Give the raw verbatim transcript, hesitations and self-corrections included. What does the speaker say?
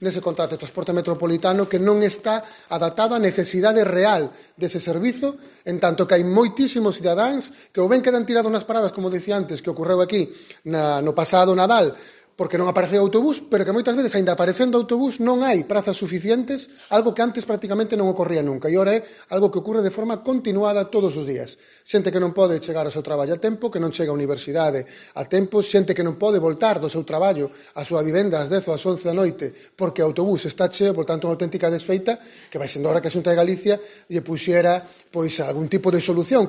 nese contrato de transporte metropolitano que non está adaptado á necesidade real dese servizo, en tanto que hai moitísimos cidadáns que ou ben quedan tirados nas paradas, como dicía antes, que ocorreu aquí na, no pasado Nadal, porque non apareceu autobús, pero que moitas veces, aínda aparecendo autobús, non hai prazas suficientes, algo que antes prácticamente non ocorría nunca, e ora é algo que ocorre de forma continuada todos os días. Xente que non pode chegar ao seu traballo a tempo, que non chega á universidade a tempo, xente que non pode voltar do seu traballo á súa vivenda ás dez ou ás once da noite, porque o autobús está cheo, por tanto, unha auténtica desfeita, que vai sendo hora que a Xunta de Galicia lle puxera pois algún tipo de solución.